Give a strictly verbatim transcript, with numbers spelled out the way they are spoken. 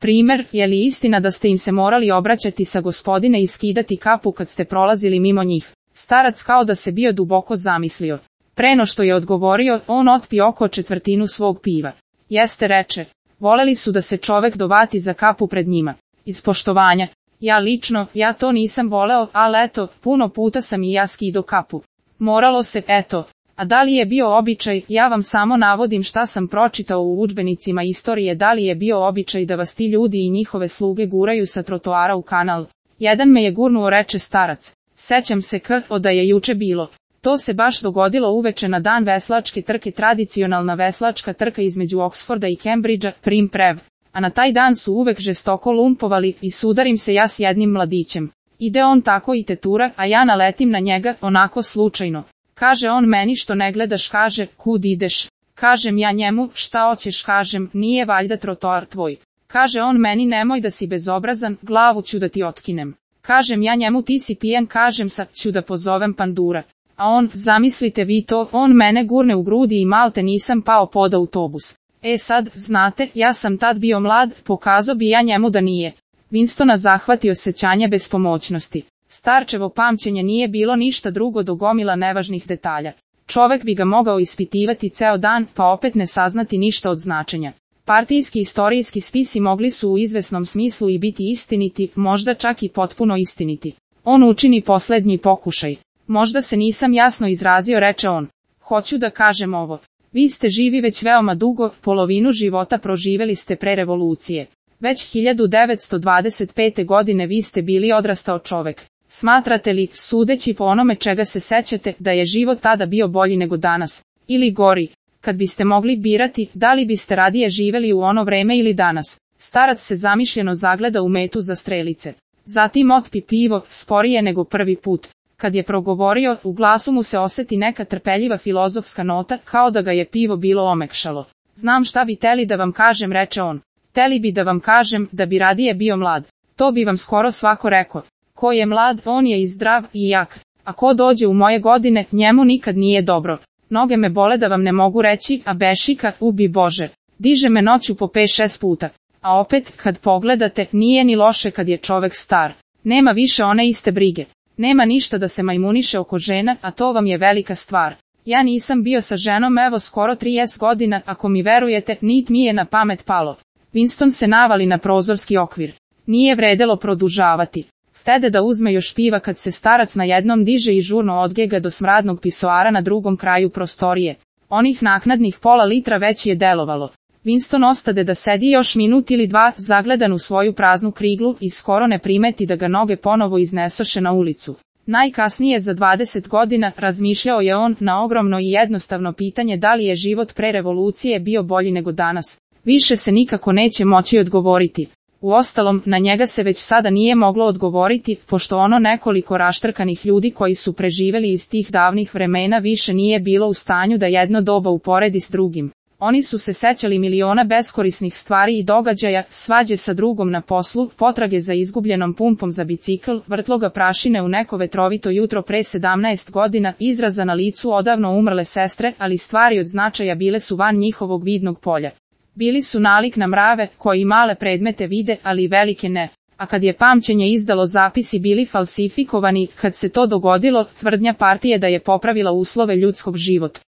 Primer, je li istina da ste im se morali obraćati sa gospodine i skidati kapu kad ste prolazili mimo njih? Starac kao da se bio duboko zamislio. Preno što je odgovorio, on otpio oko četvrtinu svog piva. Jeste, reče, voleli su da se čovek dovati za kapu pred njima. Iz poštovanja. Ja lično, ja to nisam voleo, ali eto, puno puta sam i ja skido kapu. Moralo se, eto. A da li je bio običaj, ja vam samo navodim šta sam pročitao u udžbenicima istorije, da li je bio običaj da vas ti ljudi i njihove sluge guraju sa trotoara u kanal. Jedan me je gurnuo, reče starac. Sećam se k, o da je juče bilo. To se baš dogodilo uveče na dan veslačke trke, tradicionalna veslačka trka između Oxforda i Cambridgea, prim prev. A na taj dan su uvek žestoko lumpovali i sudarim se ja s jednim mladićem. Ide on tako i tetura, a ja naletim na njega, onako slučajno. Kaže on meni, što ne gledaš, kaže, kud ideš? Kažem ja njemu, šta hoćeš, kažem, nije valjda trotoar tvoj. Kaže on meni, nemoj da si bezobrazan, glavu ću da ti otkinem. Kažem ja njemu, ti si pijan, kažem, sad ću da pozovem pandura. A on, zamislite vi to, on mene gurne u grudi i malte nisam pao pod autobus. E sad, znate, ja sam tad bio mlad, pokazao bi ja njemu da nije. Winstona zahvati osjećanje bespomoćnosti. Starčevo pamćenje nije bilo ništa drugo do gomila nevažnih detalja. Čovek bi ga mogao ispitivati ceo dan, pa opet ne saznati ništa od značenja. Partijski istorijski spisi mogli su u izvesnom smislu i biti istiniti, možda čak i potpuno istiniti. On učini poslednji pokušaj. Možda se nisam jasno izrazio, reče on. Hoću da kažem ovo. Vi ste živi već veoma dugo, polovinu života proživeli ste pre revolucije. Već hiljadu devetsto dvadeset pete. godine vi ste bili odrastao čovek. Smatrate li, sudeći po onome čega se sećate, da je život tada bio bolji nego danas? Ili gori? Kad biste mogli birati, da li biste radije živeli u ono vreme ili danas? Starac se zamišljeno zagleda u metu za strelice. Zatim otpi pivo, sporije nego prvi put. Kad je progovorio, u glasu mu se oseti neka trpeljiva filozofska nota, kao da ga je pivo bilo omekšalo. Znam šta bi teli da vam kažem, reče on. Teli bi da vam kažem, da bi radije bio mlad. To bi vam skoro svako rekao. Ko je mlad, on je i zdrav i jak. A ko dođe u moje godine, njemu nikad nije dobro. Noge me bole da vam ne mogu reći, a bešika, ubi Bože. Diže me noću po pet šest puta. A opet, kad pogledate, nije ni loše kad je čovek star. Nema više one iste brige. Nema ništa da se majmuniše oko žena, a to vam je velika stvar. Ja nisam bio sa ženom evo skoro trideset godina, ako mi verujete, nit mi je na pamet palo. Winston se navali na prozorski okvir. Nije vredelo produžavati. Htede da uzme još piva kad se starac na jednom diže i žurno odgega do smradnog pisoara na drugom kraju prostorije. Onih naknadnih pola litra već je delovalo. Winston ostade da sedi još minut ili dva, zagledan u svoju praznu kriglu i skoro ne primeti da ga noge ponovo iznesoše na ulicu. Najkasnije za dvadeset godina, razmišljao je on, na ogromno i jednostavno pitanje da li je život pre revolucije bio bolji nego danas. Više se nikako neće moći odgovoriti. Uostalom, na njega se već sada nije moglo odgovoriti, pošto ono nekoliko raštrkanih ljudi koji su preživeli iz tih davnih vremena više nije bilo u stanju da jedno doba uporedi s drugim. Oni su se sećali miliona beskorisnih stvari i događaja, svađe sa drugom na poslu, potrage za izgubljenom pumpom za bicikl, vrtloga prašine u neko vetrovito jutro pre sedamnaest godina, izraza na licu odavno umrle sestre, ali stvari od značaja bile su van njihovog vidnog polja. Bili su nalik na mrave, koji male predmete vide, ali velike ne. A kad je pamćenje izdalo zapisi bili falsifikovani, kad se to dogodilo, tvrdnja partije da je popravila uslove ljudskog života.